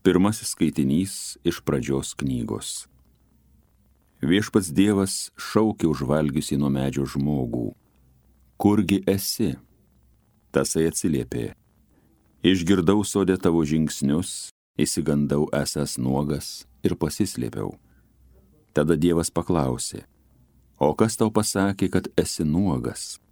Pirmasis skaitinys iš pradžios knygos. Viešpats Dievas šaukė užvalgiusį nuo medžio žmogų. Kurgi esi? Tasai atsiliepė. Išgirdau sode tavo žingsnius, išsigandau esąs nuogas ir pasislėpiau. Tada Dievas paklausė, o kas tau pasakė, kad esi nuogas?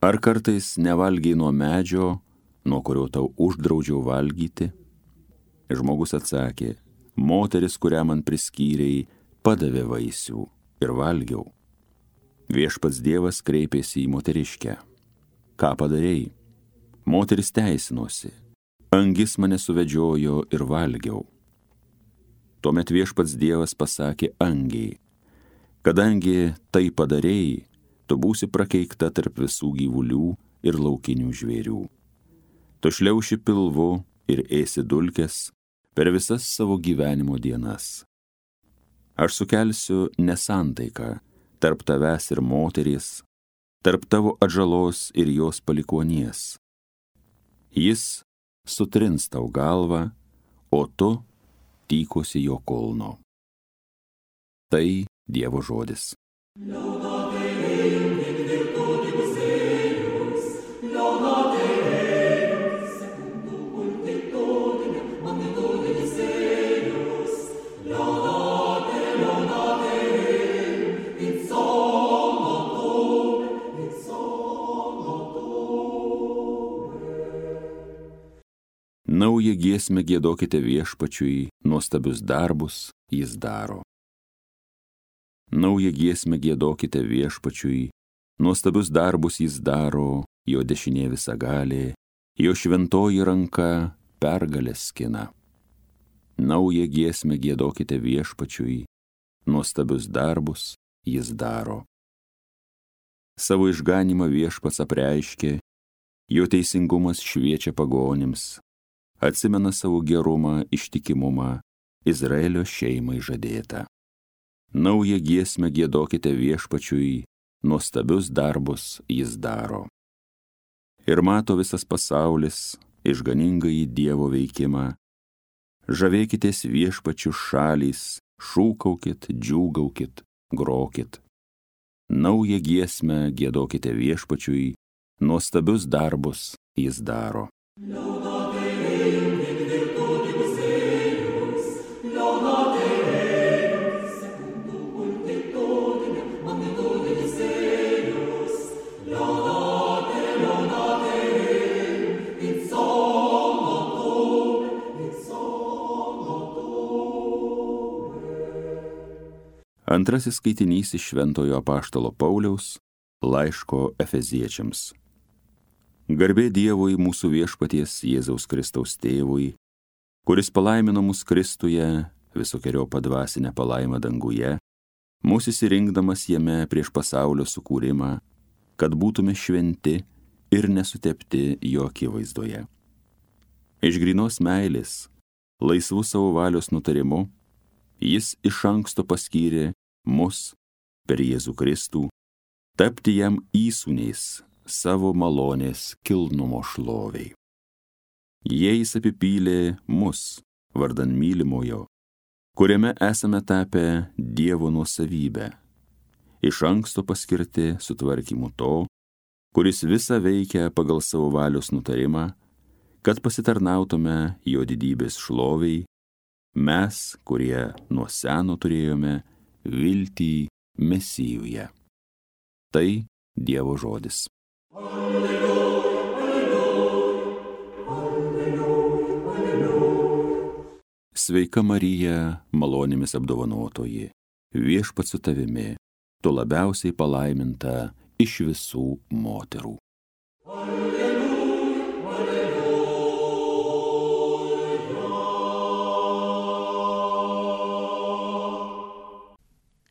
Ar kartais nevalgiai nuo medžio, nuo kurio tau uždraudžiau valgyti? Žmogus atsakė, moteris, kurią man priskyrei, padavė vaisių ir valgiau. Viešpats Dievas kreipėsi į moteriškę. Ką padarei? Moteris teisinosi. Angis mane suvedžiojo ir valgiau. Tuomet Viešpats Dievas pasakė angiai, kadangi tai padarei, tu būsi prakeikta tarp visų gyvulių ir laukinių žvėrių. Tu šliauši pilvu ir ėsi dulkes per visas savo gyvenimo dienas. Aš sukelsiu nesantaiką tarp tavęs ir moteries, tarp tavo atžalos ir jos palikuonies. Jis sutrins tau galvą, o tu tykosi jo kulno. Tai Dievo žodis. Naują giesmę giedokite Viešpačiui, nuostabius darbus jis daro. Naują giesmę giedokite Viešpačiui, nuostabius darbus jis daro, jo dešinė visagalė, jo šventoji ranka pergalės skina. Naują giesmę giedokite Viešpačiui, nuostabius darbus jis daro. Savo išganymą Viešpats apreiškė, jo teisingumas šviečia pagonims, atsimena savo gerumą, ištikimumą, Izraelio šeimai žadėtą. Naują giesmę giedokite Viešpačiui, nuostabius darbus jis daro. Ir mato visas pasaulis išganingąjį Dievo veikimą. Žavėkitės Viešpačiu šalys, šūkaukit, džiūgaukit, grokit. Naują giesmę giedokite Viešpačiui, nuostabius darbus jis daro. Antrasis skaitinys iš Šventojo apaštalo Pauliaus laiško Efeziečiams. Garbė Dievui mūsų viešpaties Jėzaus Kristaus tėvui, kuris palaimino mus Kristuje visokeriopą dvasinę palaimą danguje, mūsų įsirinkdamas jame prieš pasaulio sukūrimą, kad būtume šventi ir nesutepti jo akivaizdoje. Iš grynos meilės, laisvų savo valios nutarimu, jis iš anksto paskyrė mus per Jėzų Kristų tapti jam įsūniais savo malonės kilnumo šloviai. Jais apipylė mus vardan mylimojo, kuriame esame tapę Dievo nuosavybę, iš anksto paskirti sutvarkymu to, kuris visą veikia pagal savo valios nutarimą, kad pasitarnautume jo didybės šloviai, mes, kurie nuo seno turėjome viltį Mesijuje. Tai Dievo žodis. Sveika Marija, malonėmis apdovanotoji, Viešpats su tavimi, tu labiausiai palaiminta iš visų moterų.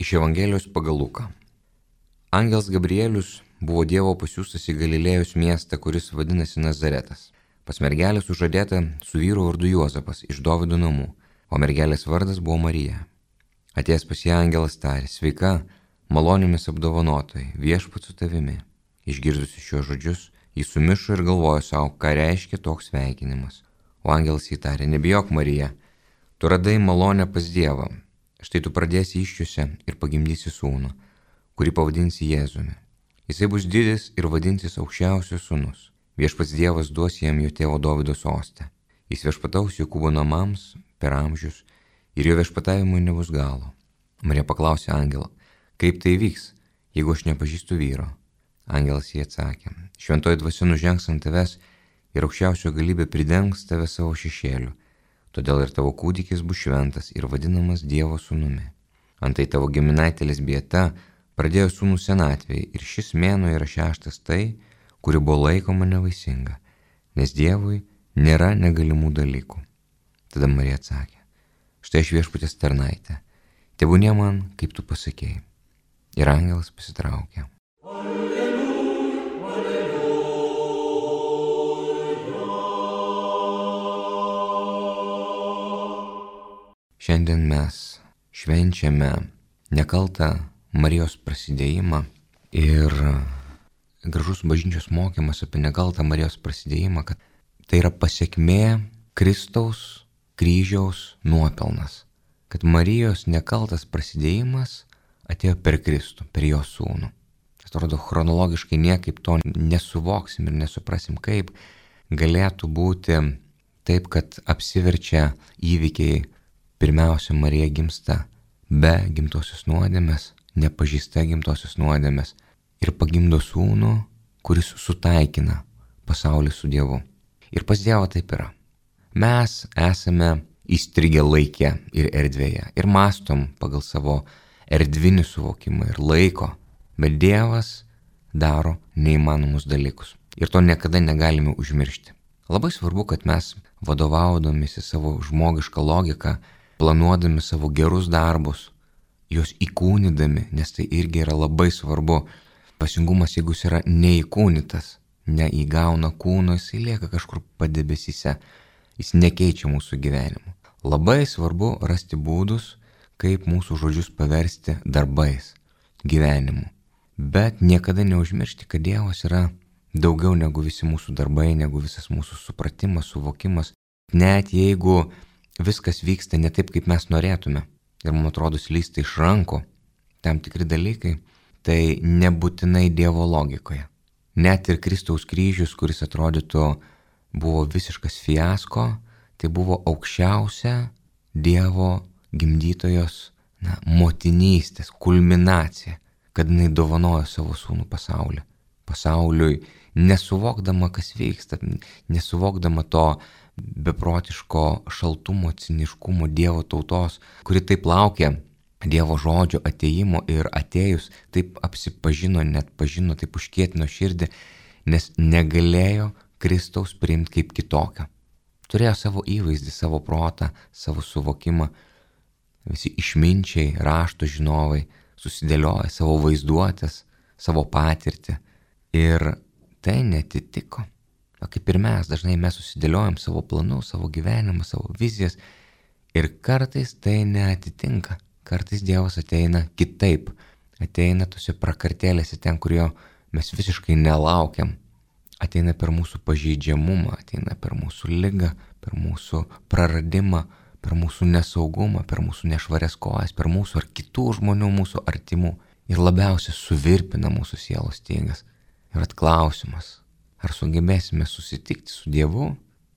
Iš Evangelijos pagal Luką. Angelas Gabrielius buvo Dievo pasiųstas į Galilėjos miestą, kuris vadinasi Nazaretas, pas mergelę sužadėtą su vyru vardu Juozapas iš Dovydo namų, o mergelės vardas buvo Marija. Atėjęs pas ją angelas tarė, sveika, malonėmis apdovanotoji, Viešpats su tavimi. Išgirdusi šiuos žodžius, jis sumišo ir galvojo savo, ką reiškia toks sveikinimas. O angelas įtarė, nebijok, Marija, tu radai malonę pas Dievą. Štai tu pradėsi iščiose ir pagimdysi sūnų, kurį pavadinsi Jėzumi. Jisai bus didis ir vadinsis aukščiausias sūnus. Viešpats Dievas duos jam jo tėvo Dovydo sostą. Jis viešpataus Jokūbo namams per amžius ir jo viešpatavimui nebus galo. Marija paklausė angelą, kaip tai vyks, jeigu aš nepažįstu vyro? Angelas jai atsakė, šventoji dvasia nužengs ant tavęs ir aukščiausio galybė pridengs tave savo šešėliu. Todėl ir tavo kūdikis bus šventas ir vadinamas Dievo sūnumi. Antai tavo giminaitėlis Bieta pradėjo sūnų senatvėje ir šis mėnuo yra 6 tai, kuri buvo laikoma nevaisinga, nes Dievui nėra negalimų dalykų. Tada Marija atsakė, štai aš Viešpaties tarnaitė, tebūnie man, kaip tu pasakėjai. Ir angelas pasitraukė. Šiandien mes švenčiame nekaltą Marijos prasidėjimą ir gražus bažnyčios mokymas apie nekaltą Marijos prasidėjimą, kad tai yra pasekmė Kristaus kryžiaus nuopelnas, kad Marijos nekaltas prasidėjimas atėjo per Kristų, per jo sūnų. Atrodo, chronologiškai niekaip to nesuvoksim ir nesuprasim, kaip galėtų būti taip, kad apsiverčia įvykiai. Pirmiausia, Marija gimsta be gimtosios nuodėmės, nepažįsta gimtosios nuodėmės ir pagimdo sūnų, kuris sutaikina pasaulį su Dievu. Ir pas Dievą taip yra. Mes esame įstrigę laike ir erdvėje ir mąstom pagal savo erdvinį suvokimą ir laiko, bet Dievas daro neįmanomus dalykus ir to niekada negalime užmiršti. Labai svarbu, kad mes vadovaudomisi savo žmogišką logiką, planuodami savo gerus darbus, juos įkūnydami, nes tai irgi yra labai svarbu. Dvasingumas, jeigu jis yra neįkūnytas, neįgauna kūno, jisai lieka kažkur padebesyse, jis nekeičia mūsų gyvenimo. Labai svarbu rasti būdus, kaip mūsų žodžius paversti darbais, gyvenimu. Bet niekada neužmiršti, kad Dievas yra daugiau negu visi mūsų darbai, negu visas mūsų supratimas, suvokimas. Net jeigu viskas vyksta ne taip, kaip mes norėtume ir man atrodo slysta iš rankų tam tikri dalykai, tai nebūtinai Dievo logikoje. Net ir Kristaus kryžius, kuris atrodytų buvo visiškas fiasko, tai buvo aukščiausia Dievo gimdytojos motinystės kulminacija, kad jinai dovanojo savo sūnų pasauliui, nesuvokdama, kas vyksta, nesuvokdama to beprotiško šaltumo, ciniškumo Dievo tautos, kuri taip laukė Dievo žodžio atėjimo ir atėjus taip apsipažino, net pažino, taip užkietino širdį, nes negalėjo Kristaus priimti kaip kitokio. Turėjo savo įvaizdį, savo protą, savo suvokimą. Visi išminčiai, rašto žinovai susidėlioja savo vaizduotės, savo patirtį ir tai netitiko. O kaip ir mes, dažnai mes susidėliojam savo planus, savo gyvenimą, savo vizijas ir kartais tai neatitinka. Kartais Dievas ateina kitaip, ateina tose prakartėlėse ten, kur jo mes visiškai nelaukiam. Ateina per mūsų pažeidžiamumą, ateina per mūsų ligą, per mūsų praradimą, per mūsų nesaugumą, per mūsų nešvarias kojas, per mūsų ar kitų žmonių, mūsų artimų. Ir labiausiai suvirpina mūsų sielos stygas. Ir atklausimas. Ar sugebėsime susitikti su Dievu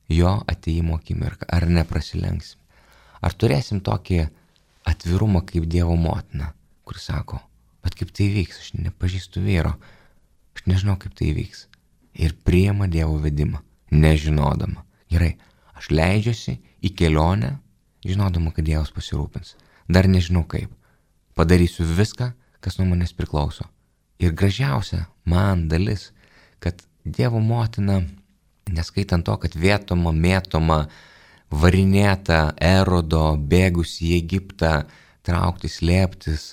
jo ateimo akimirką, ar neprasilenksim? Ar turėsim tokį atvirumą kaip Dievo motina, kuris sako, bet kaip tai vyks, aš nepažįstu vyro, aš nežinau kaip tai vyks. Ir priima Dievo vedimą, nežinodama. Gerai, aš leidžiuosi į kelionę, žinodama, kad Dievas pasirūpins. Dar nežinau kaip. Padarysiu viską, kas nuo manęs priklauso. Ir gražiausia man dalis, kad Dievo motina, neskaitant to, kad vėtoma, mėtoma, varinėta, Erodo, bėgus į Egiptą, trauktis, slėptis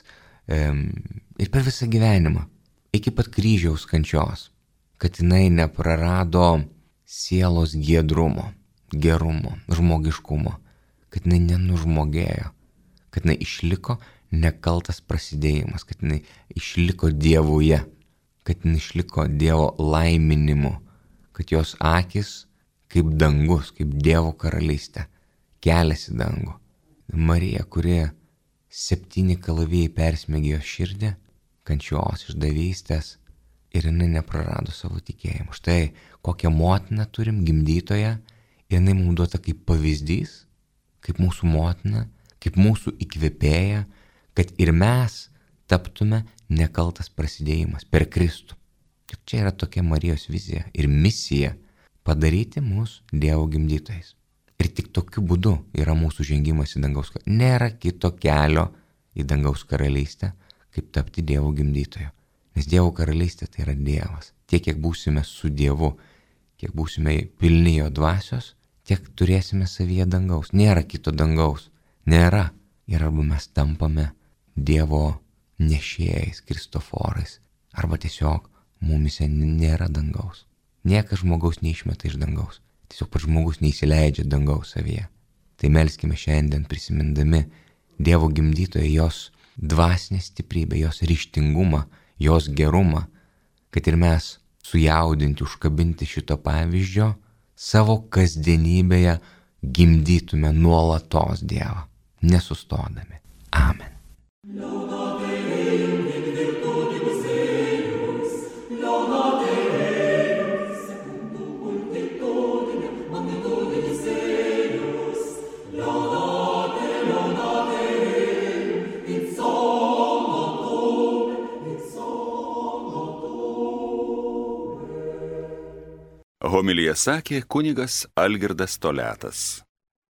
ir per visą gyvenimą, iki pat kryžiaus kančios, kad jinai neprarado sielos giedrumo, gerumo, žmogiškumo, kad jinai nenužmogėjo, kad jinai išliko nekaltas prasidėjimas, kad jinai išliko Dievuje, kad jinai išliko Dievo laiminimu, kad jos akis kaip dangus, kaip Dievo karalystė, kelias į dangų. Marija, kuri 7 kalavijai persmegė jos širdį, kančios, išdavystės, ir jinai neprarado savo tikėjimo. Štai kokią motiną turim, gimdytoją, ir jinai mums duota kaip pavyzdys, kaip mūsų motina, kaip mūsų įkvėpėja, kad ir mes taptume nekaltas prasidėjimas per Kristų. Ir čia yra tokia Marijos vizija ir misija padaryti mus Dievo gimdytojais. Ir tik tokiu būdu yra mūsų žengimas į dangaus karalystę. Nėra kito kelio į dangaus karalystę, kaip tapti Dievo gimdytoju. Nes Dievo karalystė tai yra Dievas. Tiek, kiek būsime su Dievu, kiek būsime pilni jo dvasios, tiek turėsime savyje dangaus. Nėra kito dangaus. Nėra. Ir arba mes tampame Dievo nešėjais, Kristoforais, arba tiesiog mumise nėra dangaus. Niekas žmogaus neišmeta iš dangaus. Tiesiog pats žmogus neįsileidžia dangaus savyje. Tai melskime šiandien prisimindami Dievo gimdytoją, jos dvasinę stiprybę, jos ryžtingumą, jos gerumą, kad ir mes sujaudinti, užkabinti šito pavyzdžio savo kasdienybėje gimdytume nuolatos Dievą, nesustodami. Amen. Homiliją sakė kunigas Algirdas Toliatas.